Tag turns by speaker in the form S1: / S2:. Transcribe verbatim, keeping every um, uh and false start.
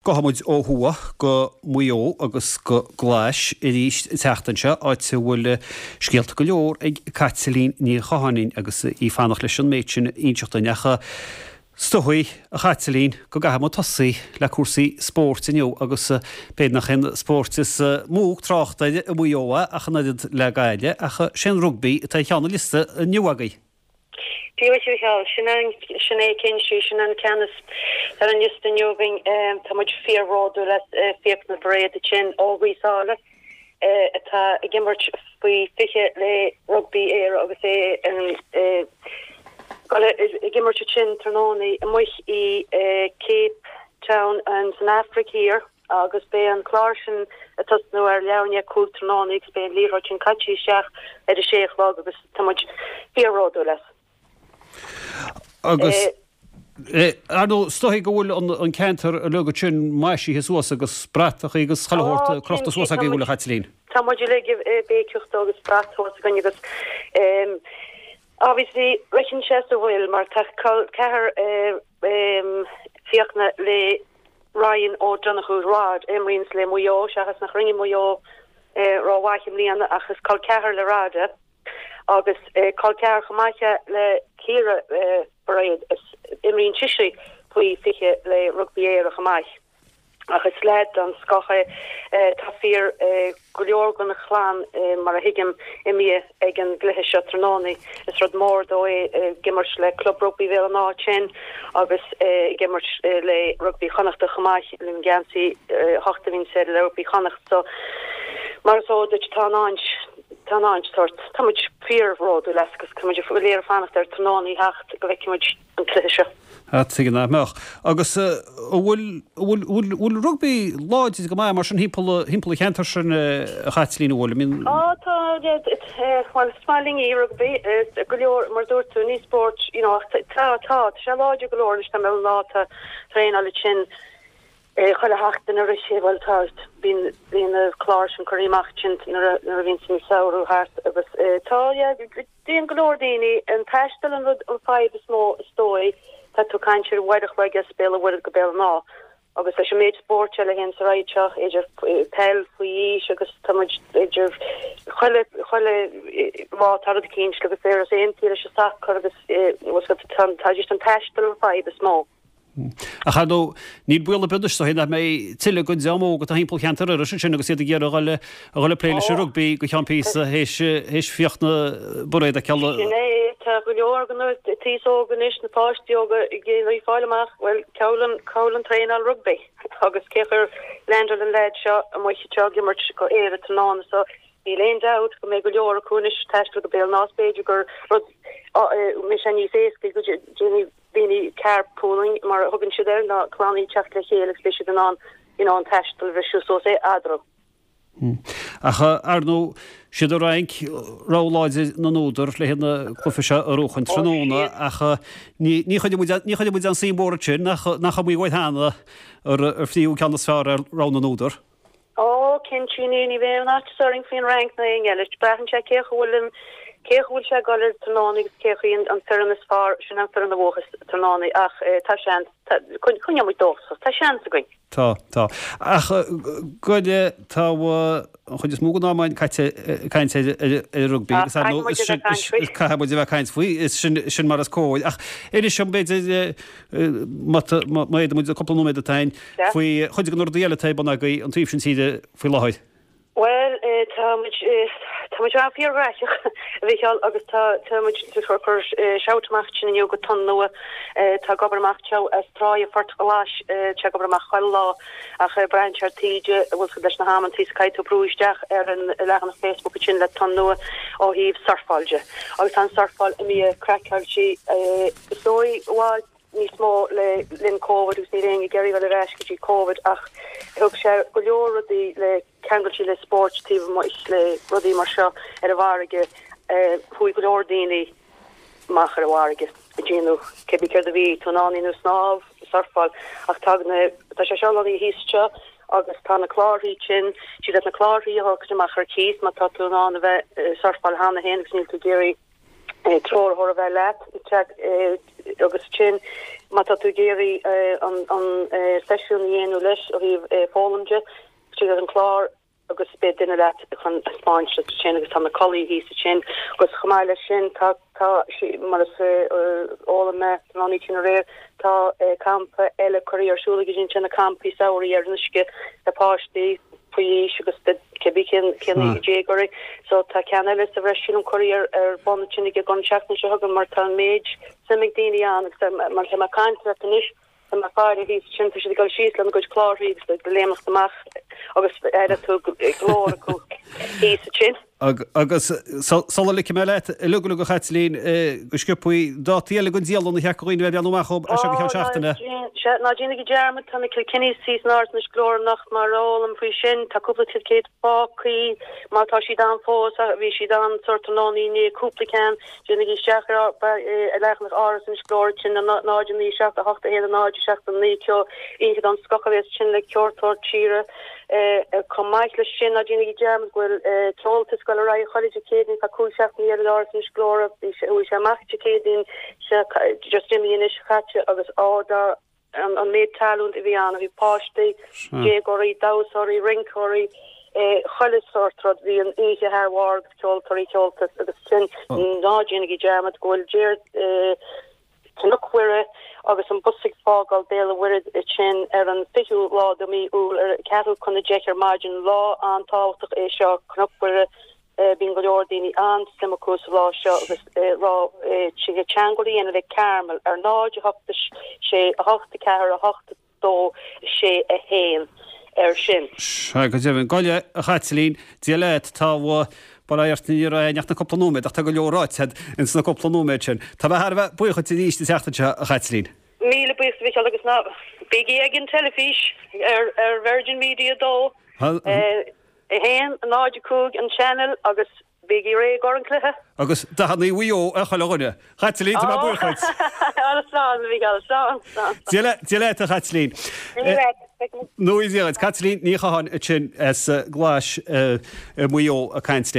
S1: Gabhfaidh muid ó thuaidh go Maigh Eo agus go Glais arís an tseachtain seo, áit a bhfuil scéalta go leor ag Caitlín Ní Chatháin agus í fanacht leis an méid sin a inseacht dúinn. Ach is dóigh, a Chaitlín, go gcaithfidh muid tosaí le cúrsaí spóirt inniu agus b'fhéidir nach é an spórt is mó trácht air i Maigh Eo ach an oiread le Gaillimh, ach sé an rugbaí atá ar cheann an liosta inniu agaibh.
S2: Dia duit a Mhichíl, sin an, sin é cinnte, sin an ceann is ar an liosta inniu againn. Tá muid fíorbhródúil as Fiachna Bairéad ansin ó Ghaoth Sáile atá ag imirt faoi fiche le Rugbaí Éire agus é ag imirt ansin tráthnóna amuigh i Cape Town san Afraic Thiar agus beidh an clár sin ag tosnú ar leathuair i ndiaidh a cúig tráthnóna agus beidh an liathróid sin caite isteach ar a sé a chlog agus tá muid fíorbhródúil as.
S1: Agus ar ndóigh, is dóigh go bhfuil an ceantar uilig ansin maisithe suas agus bratachaí agus chuile shórt crochta suas agaibh, an bhfuil, a Chaitlín?
S2: Tá muid uilig ag béiceach dó agus brat thuas againn agus obviously ritheann sé sa bhfuil mar tá col ceathar Fiachna le Ryan O'Donoghue, Rod, a imríonns le Maigh Eo seachas nach rinne Maigh Eo rómhaith i mbliana ach is col ceathar le Rod é. Agus col ceathar chomh maith le Ciara Bairéad, is imríonn sise faoi fiche le Rugbaí Éire chomh maith. Ach is leaid den scoth é. Tá fíor go leor den chlann, mar a thuigim, imithe ag an gcluiche seo tráthnóna. Is rud mór dó é ag imirt le Club Rugbaí Bhéal an Átha ansin agus ag imirt le Rugbaí Chonnachta chomh maith, le an geansaí a hocht a bhíonns air le Rugbaí Chonnacht. So, mar is eol duit, tá an Tá an áint tort. Tá muid fíorbhródúil as agus tá muid go léir ag fanacht ar tráthnóna a theacht go bhfeicfidh muid an cluiche seo.
S1: Ah, tuige nach mbeadh. Agus an bhfuil, bhfuil, bhfuil, bhfuil rugbaí láidir go maith mar sin thimpeall, thimpeall an cheantair sin, a Chaitlín, an bhfuil? I mean.
S2: Á, tá, bhuel, is maith linn í, rugbaí, go leor, mar a dúirt tú, ní spórt, you know, ach tá, tá, tá sé láidir go leor anois, tá mé lá, tá traenáil ansin. Chuile sheachtain arís, bhuel tá, bíonn, bíonn na cláir sin curtha amach ansin nuair a, nuair a bhíonns an samhradh thart agus tá, yeah, déanann go leor daoine, an taisteal an rud, an fadhb is mó is dóigh, tá tú ag caint ar uair a chloig as Béal an Mhuirthead go Béal an Átha agus leis an méid spóirt eile a théanns ar aghaidh anseo, idir peil faoi aois agus tá muid idir chuile, chuile lá tá rud eicínt agus ar as aon tír leis an sacar agus bhfuil 's agat, tá, tá just an taisteal an fadhb is mó.
S1: Ach ar ndóigh, níl baol ar bith anois, is dóigh, nach mbeidh tuilleadh den dream óg atá thimpeall cheantar Iorrais ansin agus iad ag iarraidh a dhul a dhul ag plé leis an rugbaí go ceann píosa théis théis Fiachna Bairéad a fheiceáil.
S2: Sin é, tá go leor den aos óg anois, na páistí óga ag iarraidh fáil amach, bhuel, cá bhfuil an cá bhfuil an traenáil rugbaí agus cén chaoi ar leaindeáil an leaid seo amuigh anseo ag imirt go Éire tráthnóna so níl aon dabht go mbeidh go leor acu anois ag taisteal go Béal an Átha, b'fhéidir gur rud mbeidh sé níos éasca go déanfaidh daoine carpooling mar a thugann siad air, ná clannaí teacht le chéile agus beidh siad in ann you know an taisteal a bhriseadh suas eadarthu.
S1: Ach ar ndóigh, siad an Fhrainc rogha láidir na n-údar le haghaidh an cluiche seo a bhuachan tráthnóna ach ní ní chuirfidh muid ní chuirfidh muid aon suim mhór ansin nach nach iomaí uair cheana ar ar fríothadh ceann is fearr ar rogha na n-údar.
S2: Ó, cinnte, ní, ní bheidh aon fhaitíos orainn faoin Fhrainc ná éinne eile. Braitheann sé cé chaoi bhfuil an, cé chaoi bhfuil sé ag dul ar tráthnóna agus cé chaoi an, an foireann is fearr, sin an foireann a bhuafas tráthnóna ach tá seans, tá, coinneoidh muid dóchasach, tá seans againn.
S1: Tá, tá. Ach go deimhin, tá an chuid is mó den am againn caite ag caint ar, ar, ar an rugbaí agus ar ndóigh, is sin, is, is caithfidh muid a bheith ag caint faoi, is sin, sin mar is cóir. Ach inis dom, b'fhéidir, má, má fhéadann muid, cúpla nóiméad atá againn, faoi chuid de na rudaí eile atá ar bun agaibh an taobh sin tíre faoi láthair.
S2: Bhuel, tá muid, tá muid an-fhíorghnóthach, a Mhichíl, agus tá, tá muid ag cur shout amach ansin inniu go Tonn Nua. Tá ag obair amach anseo as Tráigh Phort Ghlais, tá ag obair amach chuile lá ach braitheann sé ar taoide, an bhfuil 's agat leis na hamantaí is caithfidh tú brú isteach ar an leathanach Facebook ansin le Tonn Nua ó thaobh surfáil de. Agus tá an surfáil imithe craiceáilte, is dóigh, i bhfad níos mó le linn Covid agus níl éinne ag iarraidh dul ar ais go dtí Covid ach thug sé go leor rudaí le ceangailte le spóirt taobh amuigh le rudaí mar seo ar an bhfarraige. Chuaigh go leor daoine amach ar an bhfarraige ag déanamh cibé céard a bhí tú in ann a dhéanamh, snámh, surfáil ach tá na tá sé seo lonnaithe thíos anseo agus tá na clárthaí sin, siad iad na clárthaí a thabhairt amach ar cíos má tá tú in ann a bheith ag surfáil cheana féin agus níl tú ag iarraidh Treoraitheoir a bheith leat agus sin má tá tú ag iarraidh an an seisiún a dhéanamh leis ó thaobh foghlaim de tríd an clár agus beidh duine leat chun taispeáint duit sin agus tá na culaí thíos sin agus chomh maith leis sin tá tá mar is eol mé an oíche sin aréir tá campa eile curtha ar siúl ag sin na campaí samhraidh ar an uisce le páistí faoi aois agus cibé cén cén déagóirí so tá ceann eile sa bhreis sin an curtha ar ar bun sin ag an seachtain seo chugainn mar tá an méid suim ag daoine ann agus mar tá mé ag caint leat anois Tá mé ag faire thíos sin tá siad ag dul síos lena gcuid clárthaí agus ag léimeacht amach agus aire tú glór acu thíos sin.
S1: Agus sula ligfidh mé leat uilig uilig a Chaitlín go sciobthaí dátaí eile don dialann a cheart do dhaoine bheith ag breathnú amach as seo go ceann seachtaine.
S2: Ná déanaigí dearmad tá na Kilkennys thíos in Áras Inis Gluaire anocht mar a fhoghlaim faoi sin tá cúpla ticéad fágtha má tá siad ann fós bhí siad ann sórt tráthnóna inné cúpla ceann déanaigí isteach ar leathanach Áras Inis Gluaire sin náid naoi seacht a hocht a haon náid seacht a naoi ceo oíche den scoth a bheas sin le ceoltóir tíre Chomh maith leis sin, ná déanaigí dearmad go bhfuil ceoltas ag dul ar aghaidh chuile Dé Céadaoin feadh cúig seachtainí eile in Áras Inis Gluaire. Bhí sé, chuaigh sé amach Dé Céadaoin seo just imithe anois chaite agus á dá an an méid talún a bhí ann, bhí páistí, déagóirí, damhsóirí, rinceoirí, chuile sórt rud, bhí an oíche thar barr agus ceoltóirí, ceoltas agus sin ná déanaigí dearmad go bhfuil Déir Cnoc Mhuire agus an bus ag fágáil Béal an Mhuirthead ansin ar an fichiú lá de mí Iúil ar ceathrú chun a deich ar maidin. Lá an-tábhachtach é seo, Cnoc Mhuire, bíonn go leor daoine an-suim acu sa lá seo agus rá tig teagmháil a dhéanamh le Carmel ar náid a hocht sé a hocht a ceathair a hocht dó sé a haon air sin.
S1: Sea, go deimhin. Gabh i leith, a Chaitlín, Dia leat, tá bail ó Dhia ort, ní raibh ach na cúpla nóiméad ach tá go leor ráite agat ins na cúpla nóiméad sin. Tá mé thar a bheith buíoch duit arís an tseachtain seo, a Chaitlín.
S2: Míle buíochas a Mhichíl agus ná bígí ag an teilifís ar ar Virgin Media dó, a haon, náid a cúig an channel agus Bígí réidh i gcomhair an cluiche.
S1: Agus dathannaí Mhaigh Eo ar chuile dhuine. Chaitlín, tá mé buíoch duit.
S2: Slán, a Mhichíl, slán, slán.
S1: Dia leat, a Chaitlín.
S2: Dia leat.
S1: Nó Dia leat. Caitlín Ní Chatháin ansin as Glais i Maigh Eo ag caint linn.